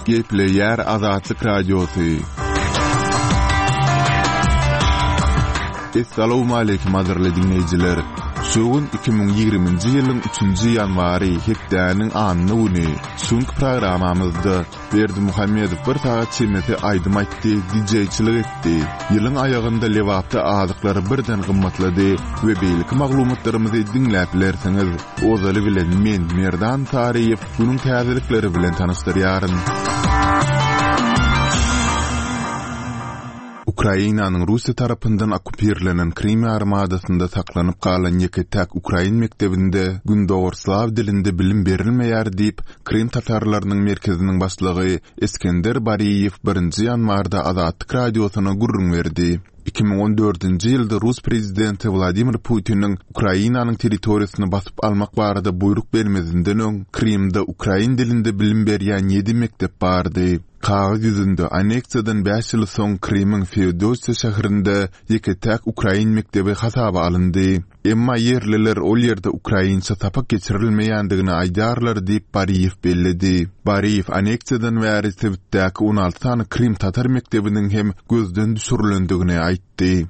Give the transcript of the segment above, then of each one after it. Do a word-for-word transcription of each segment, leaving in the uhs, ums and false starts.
Gepleýär Azatlyk Radiosy. Essalawmaleýkim gadyrly diňleýjiler! Şu gün iki müň ýigriminji ýylyň üçünji ýanwary, hepdäniň anna güni. Şu günki programmamyzda Berdimuhamedow bir sagat çemesi aýdym aýtdy, dijeýçilik etdi. Ýylyň aýagynda Lebapda azyklar birden gymmatlady we beýleki maglumatlarymyzy diňläp bilersiňiz. Ozaly bilen men, Merdan Saryýew, günüň täzelikleri bilen tanyşdyrýaryn. Ukrainanyň Russiýa tarapyndan okkupirlenen Krym ýarymadasynda saklanyp galan ýeke-täk ukrain mekdebinde gündogar slaw dilinde bilim berilmeýär diýip, Krym tatarlarynyň merkeziniň başlygy Eskender Bariýew birinji ýanwarda Azatlyk Radiosyna gürrüň berdi. Iki müň on dördünji ýylda rus prezidenti Wladimir Putiniň Ukrainanyň territoriýasyny basyp almak barada buýruk bermezinden öň, Krymda ukrain dilinde bilim berýän ýedi mekdep bardy. Kagyz ýüzünde anneksiýadan bäş ýyl soň Krymyň Feodosiýa şäherinde ýeke-täk ukrain mekdebi hasaba alyndy. Emma ýerliler ol ýerde ukrainçe sapak geçirilmeýändigini aýdýarlar diýip, Bariýew belledi. Bariýew anneksiýadan bäri sebitdäki on alty sany krym tatar mekdebiniň hem gözden düşürilendigini aýtdy.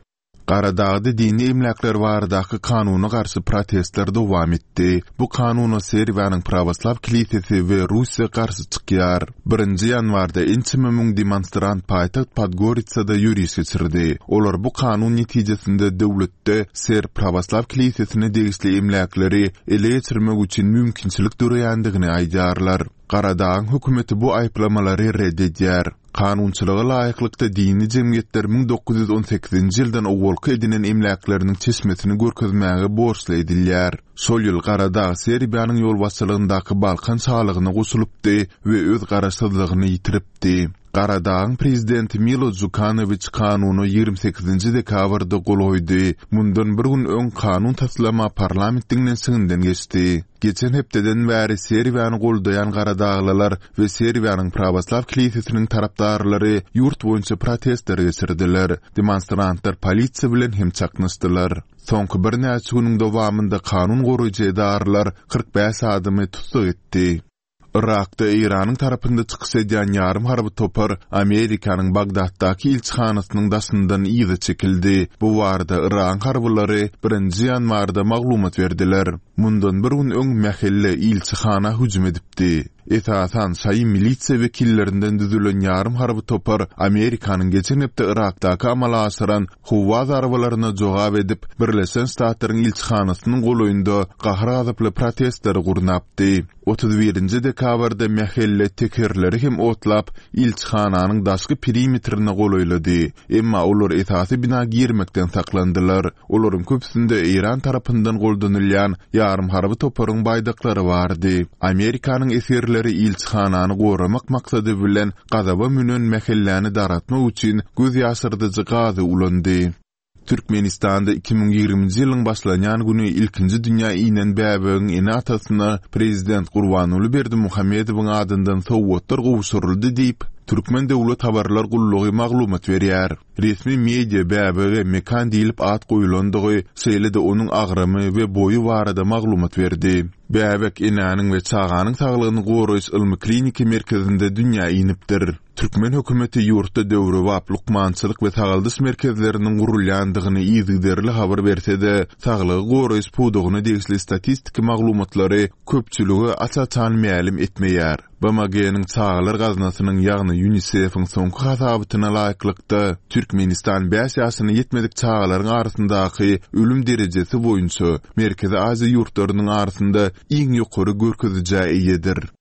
Garadagda dini emläkler baradaky kanuna garşy protestler dowam etdi. Bu kanuna Serbiýanyň Prawoslaw kilisesi we Russiýa garşy çykýar. Birinji ýanwarda ençeme müň demonstrant paýtagt Podgoritsada ýöriş geçirdi. Olar bu kanun netijesinde döwletde Serb Prawoslaw kilisesine degişli emläkleri ele geçirmek üçin mümkinçilik döreýändigini aýdýarlar. Garadagyň hökümeti bu aýyplamalary ret edýär. Kanunçylyga laýyklykda dini jemgyýetler müň dokuz ýüz on sekizinji ýyldan owalky edinen emläkleriniň çeşmesini görkezmäge borçly edilýär. Şol ýyl Garadag Serbiýanyň ýolbaşçylygyndaky Balkan şalygyna goşulypdy we öz garaşsyzlygyny ýitiripdi. Garadagyň prezidenti Milo Jukanowiç kanuna ýigrimi sekizinji dekabrda gol goýdy. Mundan bir gün öň kanun taslama parlament diňlenişiginden geçdi. Geçen hepdeden bäri Serbiýany goldaýan garadaglylar we Serbiýanyň Prawoslaw kilisesiniň tarapdarlary ýurt boýunça protestler geçirdiler. Demonstrantlar polisiýa bilen hem çaknyşdylar. Soňky birnäçe günüň dowamynda kanun goraýjy edaralar kyrk bäş adamy tussag etdi. Yrakda Eýranyň tarapynda çykyş edýän ýarym harby topar Amerikanyň Bagdatdaky ilçihanasynyň daşyndan yza çekildi. Bu barada Yragyň harbylary birinji ýanwarda maglumat berdiler. Mundan bir gün öň mähelle ilçihana hüjüm edipdi. Esasan şaýy milisiýa wekillerinden düzülen ýarym harby topar Amerikanyň geçen hepde Yrakdaky amala aşyran howa zarbalaryna jogap edip, Birleşen Ştatlaryň ilçihanasynyň golaýynda gahar-gazaply protestleri gurnapdy. Otuz birinji dekabrda mähelle tekerleri hem otlap, ilçihananyň daşky perimetrine golaýlady. Emma olar esasy bina girmekden saklandylar. Olaryň köpüsinde Eýran tarapyndan goldanylýan ýarym harby toparyň baýdaklary bardy. Amerikanyň esgerleri ilçihanany goramak maksady bilen gazaba münen mähelläni daratmak üçin göz ýaşyrdyjy gazy ulandy. Türkmenistanda iki müň ýigriminji ýylyň başlanýan güni ilkinji dünýä inen bäbegiň ene-atasyna prezident Gurbanguly Berdimuhamedowyň adyndan sowgatlar gowşuryldy diýip, Türkmen döwlet habarlar gullugy maglumat berýär. Resmi media bäbege Mekan diýlip at goýulandygy, şeýle-de onuň agramy we boýy barada maglumat berdi. Bäbek enäniň we çaganyň saglygyny goraýyş ylmy kliniki merkezinde dünýä inipdir. Türkmen hökümeti ýurtda döwrebap lukmançylyk we sagaldyş merkezleriniň gurulýandygyny yzygiderli habar berse-de, saglygy goraýyş pudagyna degişli statistiki maglumatlary köpçülige aç-açan mälim etmeýär. B M G-niň çagalar gaznasynyň, ýagny UNICEF-iň soňky hasabatyna laýyklykda, Türkmenistan bäş ýaşyna ýetmedik çagalaryň arasyndaky ölüm derejesi boýunça Merkezi Aziýa ýurtlarynyň arasynda iň ýokary görkezijä eýedir.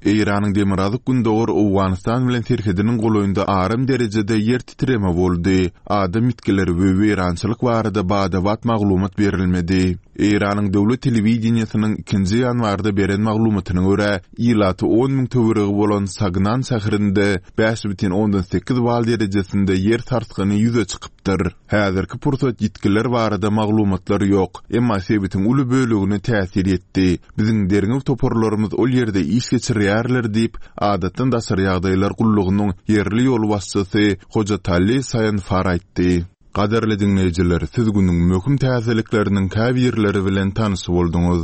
Eýranyň demirgazyk-gündogar Owganystan bilen serhediniň golaýynda aram derejede ýer titreme boldy. Adam ýitgileri we weýrançylyk barada bada-bat maglumat berilmedi. Eýranyň döwlet telewideniýesiniň ikinji ýanwarda beren maglumatyna görä, ilaty on müň töweregi bolan Sagnan şäherinde bäş bütin ondan sekiz bal derejesinde ýer sarsgyny ýüze çykypdyr. Häzirki pursat ýitgiler barada maglumatlar ýok, emma sebitiň uly bölegine täsir ýetdi. Biziň derňew toparlarymyz ol ýerde iş geçirýärler diýip, adatdan daşary ýagdaýlar gullugynyň ýerli ýolbaşçysy Hojatalli Saýanfar aýtdy. Gadyrly diňleýjiler, siz günüň möhüm täzelikleriniň käbirleri bilen tanyş bolduňyz.